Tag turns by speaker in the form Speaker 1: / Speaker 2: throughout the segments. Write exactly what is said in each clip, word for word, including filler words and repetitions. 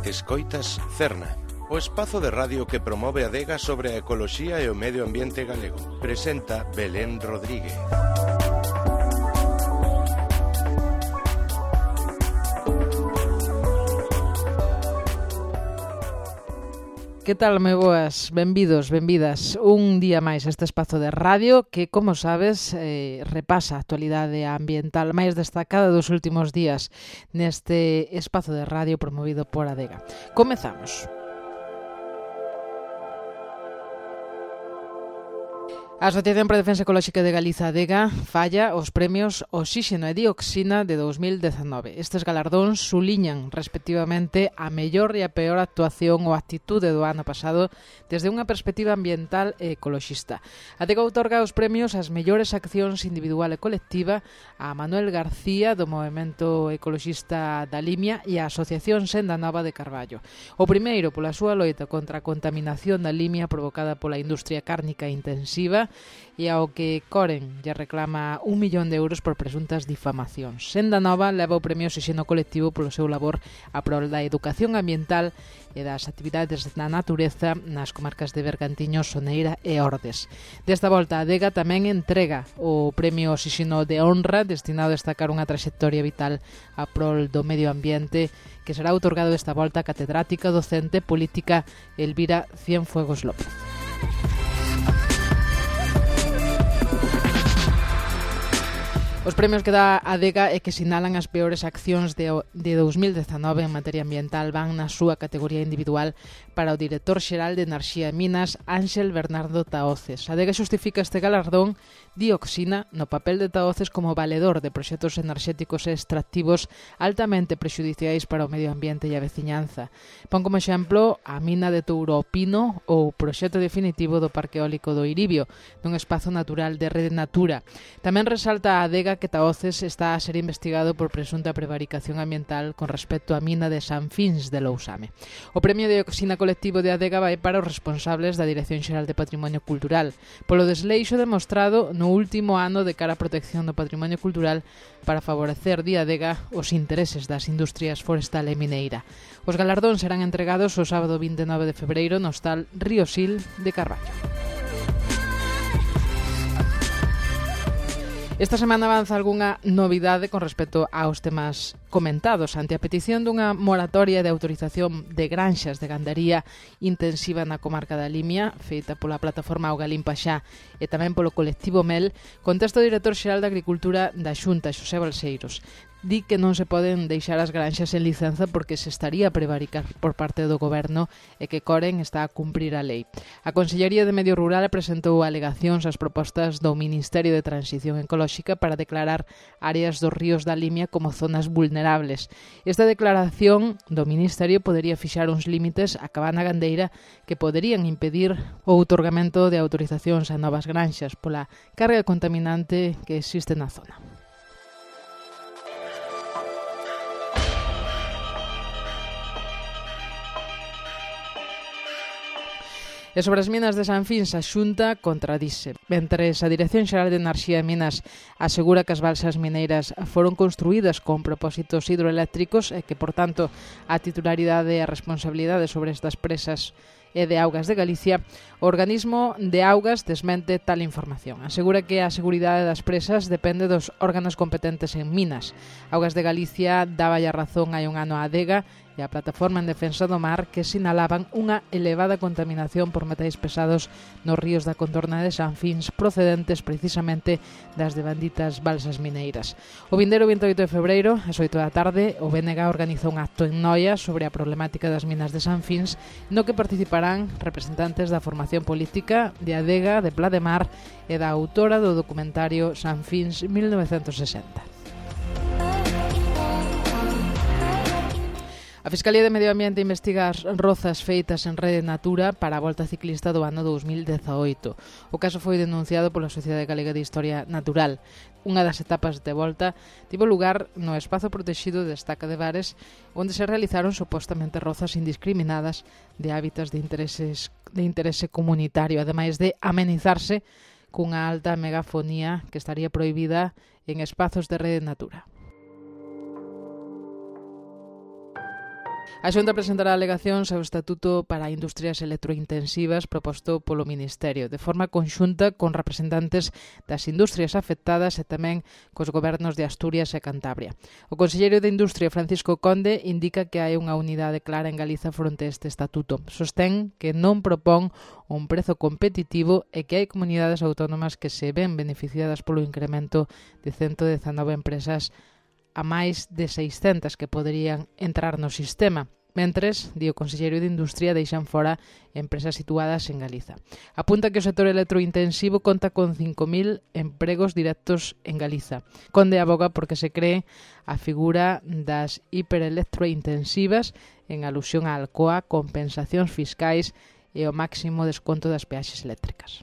Speaker 1: Escoitas Cerna, o espazo de radio que promove a Adega sobre a ecoloxía e o medio ambiente galego. Presenta Belén Rodríguez.
Speaker 2: Que tal, moi boas? Benvidos, benvidas un día máis a este espazo de radio que, como sabes, eh, repasa a actualidade ambiental máis destacada dos últimos días neste espazo de radio promovido por Adega. Comezamos. A Asociación para a Defensa Ecolóxica de Galiza, Adega, falla os premios Oxíxeno e Dioxina de dos mil dezenove. Estes galardóns suliñan, respectivamente, a mellor e a peor actuación ou actitude do ano pasado desde unha perspectiva ambiental e ecoloxista. Adega outorga os premios ás mellores accións individual e colectiva a Manuel García, do Movemento Ecoloxista da Limia, e a Asociación Senda Nova de Carballo. O primeiro, pola súa loita contra a contaminación da limia provocada pola industria cárnica intensiva, e ao que Coren lle reclama un millón de euros por presuntas difamacións. Senda Nova leva o premio Oxíxeno Colectivo polo seu labor a prol da educación ambiental e das actividades na natureza nas comarcas de Bergantiños, Soneira e Ordes. Desta volta, a Adega tamén entrega o premio Oxíxeno de Honra, destinado a destacar unha traxectoria vital a prol do medio ambiente, que será outorgado desta volta a catedrática docente política Elvira Cienfuegos López. Os premios que dá a Adega e que sinalan as peores accións de, de dos mil dezenove en materia ambiental van na súa categoría individual para o director xeral de Enerxía e Minas, Ánxel Bernardo Tahoces. A Adega xustifica este galardón Dioxina no papel de Tahoces como valedor de proxectos enerxéticos e extractivos altamente prexudiciais para o medio ambiente e a veciñanza. Pon como exemplo a mina de Touro ao Pino ou o proxecto definitivo do Parque Eólico do Iribio, dun espazo natural de Rede Natura. Tamén resalta a Adega que Tahoces está a ser investigado por presunta prevaricación ambiental con respecto á mina de San Fins de Lousame. O premio de Dioxina Colectivo de Adega vai para os responsables da Dirección Xeral de Patrimonio Cultural polo desleixo demostrado no último ano de cara á protección do patrimonio cultural para favorecer di Adega os intereses das industrias forestal e mineira. Os galardóns serán entregados o sábado vinte e nove de febreiro no hostal Río Sil de Carballo. Esta semana avanza algunha novidade con respecto aos temas comentados ante a petición dunha moratoria de autorización de granxas de gandaría intensiva na comarca da Limia, feita pola plataforma Auga Limpa Xa e tamén polo colectivo Mel. Contesta o director xeral de Agricultura da Xunta, Xosé Balseiros. Di que non se poden deixar as granxas en licenza porque se estaría a prevaricar por parte do goberno e que Coren está a cumprir a lei. A Consellería de Medio Rural presentou alegacións ás propostas do Ministerio de Transición Ecolóxica para declarar áreas dos ríos da Limia como zonas vulnerables. Esta declaración do Ministerio podería fixar uns límites á cabana gandeira que poderían impedir o outorgamento de autorizacións a novas granxas pola carga contaminante que existe na zona. E sobre as minas de San Fins, a Xunta contradise. Mentres a Dirección Xeral de Enerxía e Minas asegura que as balsas mineiras foron construídas con propósitos hidroeléctricos e que, por tanto, a titularidade e a responsabilidade sobre estas presas e de Augas de Galicia, o organismo de Augas desmente tal información. Asegura que a seguridade das presas depende dos órganos competentes en minas. Augas de Galicia daba a razón hai un ano á Adega e a Plataforma en Defensa do Mar, que sinalaban unha elevada contaminación por metais pesados nos ríos da contorna de San Fins, procedentes precisamente das devanditas balsas mineiras. O vindeiro vinte e oito de febreiro, ás oito da tarde, o B N G organizou un acto en Noia sobre a problemática das minas de San Fins, no que participarán representantes da formación política de Adega, de Pla de Mar e da autora do documentario San Fins mil novecentos sesenta. A Fiscalía de Medio Ambiente investiga as rozas feitas en Rede Natura para a Volta Ciclista do ano dos mil dezaoito. O caso foi denunciado pola Sociedade Galega de Historia Natural. Unha das etapas de volta tivo lugar no espazo protexido de Estaca de Bares, onde se realizaron supostamente rozas indiscriminadas de hábitats de intereses de interese comunitario, ademais de amenizarse cunha alta megafonía que estaría prohibida en espazos de Rede Natura. A Xunta presentará alegacións ao Estatuto para Industrias Electrointensivas proposto polo Ministerio, de forma conxunta con representantes das industrias afectadas e tamén cos gobernos de Asturias e Cantabria. O conselleiro de Industria, Francisco Conde, indica que hai unha unidade clara en Galiza fronte a este estatuto. Sostén que non propón un prezo competitivo e que hai comunidades autónomas que se ven beneficiadas polo incremento de ciento dezanove empresas a máis de seiscentas que poderían entrar no sistema. Mentres, di o conselleiro de Industria, deixan fora empresas situadas en Galiza. Apunta que o sector electrointensivo conta con cinco mil empregos directos en Galiza. Conde aboga porque se cree a figura das hiperelectrointensivas en alusión á Alcoa, compensacións fiscais e o máximo desconto das peaxes eléctricas.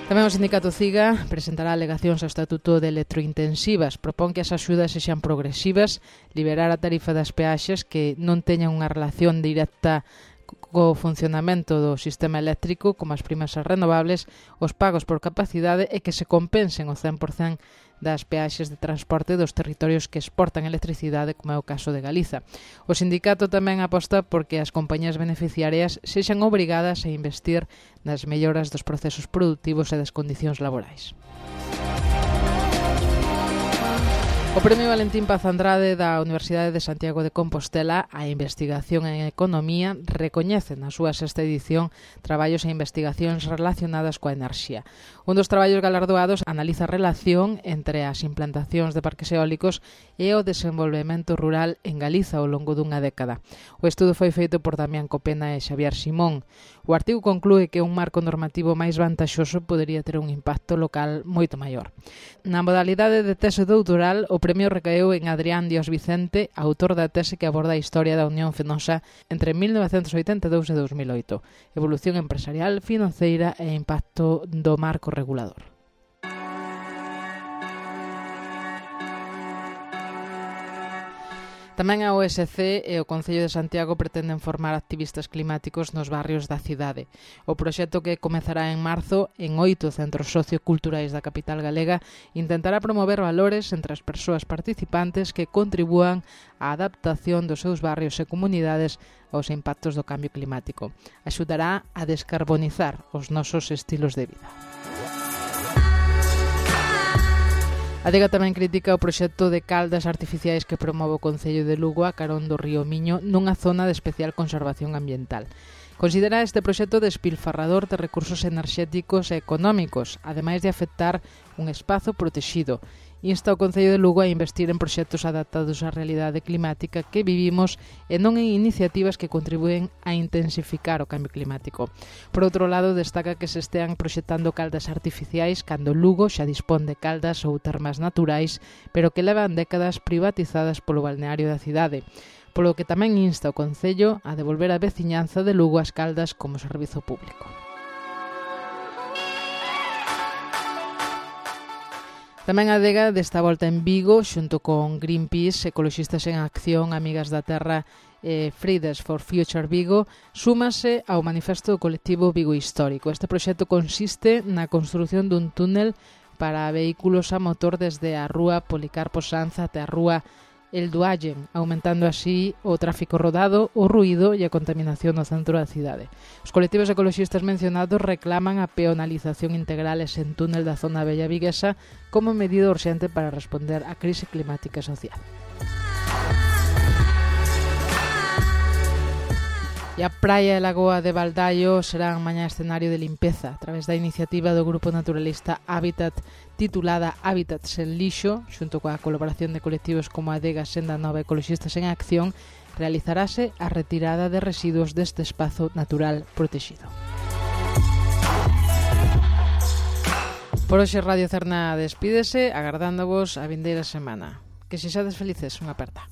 Speaker 2: Tamén o sindicato CIGA presentará alegacións ao Estatuto de Electrointensivas. Propón que as axudas sexan progresivas, liberar a tarifa das peaxes que non teñan unha relación directa co funcionamento do sistema eléctrico, como as primas renovables, os pagos por capacidade e que se compensen o cen por cento das peaxes de transporte dos territorios que exportan electricidade, como é o caso de Galiza. O sindicato tamén aposta porque as compañías beneficiarias sexan obrigadas a investir nas melloras dos procesos produtivos e das condicións laborais. O Premio Valentín Paz Andrade da Universidade de Santiago de Compostela a Investigación en Economía recoñece na súa sexta edición traballos e investigacións relacionadas coa enerxía. Un dos traballos galardoados analiza a relación entre as implantacións de parques eólicos e o desenvolvemento rural en Galiza ao longo dunha década. O estudo foi feito por Damián Copena e Xavier Simón. O artigo conclúe que un marco normativo máis vantaxoso podería ter un impacto local moito maior. Na modalidade de tese doutoral, o premio recaeu en Adrián Dios Vicente, autor da tese que aborda a historia da Unión Fenosa entre mil novecentos oitenta e dous e dous mil oito, evolución empresarial, financeira e impacto do marco regulador. Tamén a O S C e o Concello de Santiago pretenden formar activistas climáticos nos barrios da cidade. O proxecto, que comezará en marzo en oito centros socioculturais da capital galega, intentará promover valores entre as persoas participantes que contribúan á adaptación dos seus barrios e comunidades aos impactos do cambio climático. Axudará a descarbonizar os nosos estilos de vida. A Adega tamén critica o proxecto de caldas artificiais que promove o Concello de Lugo a carón do río Miño nunha zona de especial conservación ambiental. Considera este proxecto despilfarrador de recursos enerxéticos e económicos, ademais de afectar un espazo protexido. Insta o Concello de Lugo a investir en proxectos adaptados á realidade climática que vivimos e non en iniciativas que contribúen a intensificar o cambio climático. Por outro lado, destaca que se estean proxectando caldas artificiais cando Lugo xa dispón de caldas ou termas naturais, pero que levan décadas privatizadas polo balneario da cidade. Polo que tamén insta o Concello a devolver a veciñanza de Lugo as caldas como servizo público. Tamén a Adega desta volta en Vigo, xunto con Greenpeace, Ecoloxistas en Acción, Amigas da Terra e Fridays for Future Vigo, súmase ao manifesto do colectivo Vigo Histórico. Este proxecto consiste na construción dun túnel para vehículos a motor desde a rúa Policarpo Sanz até a rúa El Duallen, aumentando así o tráfico rodado, o ruído e a contaminación no centro da cidade. Os colectivos ecoloxistas mencionados reclaman a peonalización integral e sen túnel da zona bella viguesa como medida urxente para responder á crise climática e social. E a praia e lagoa de Baldaio serán mañá escenario de limpeza a través da iniciativa do grupo naturalista Hábitat titulada Hábitat sen lixo, xunto coa colaboración de colectivos como Adega, Senda Nova e Ecoloxistas en Acción, realizarase a retirada de residuos deste espazo natural protexido. Por hoxe Radio Cerna despídese, agardándovos a vindeira semana. Que sexades felices, unha aperta.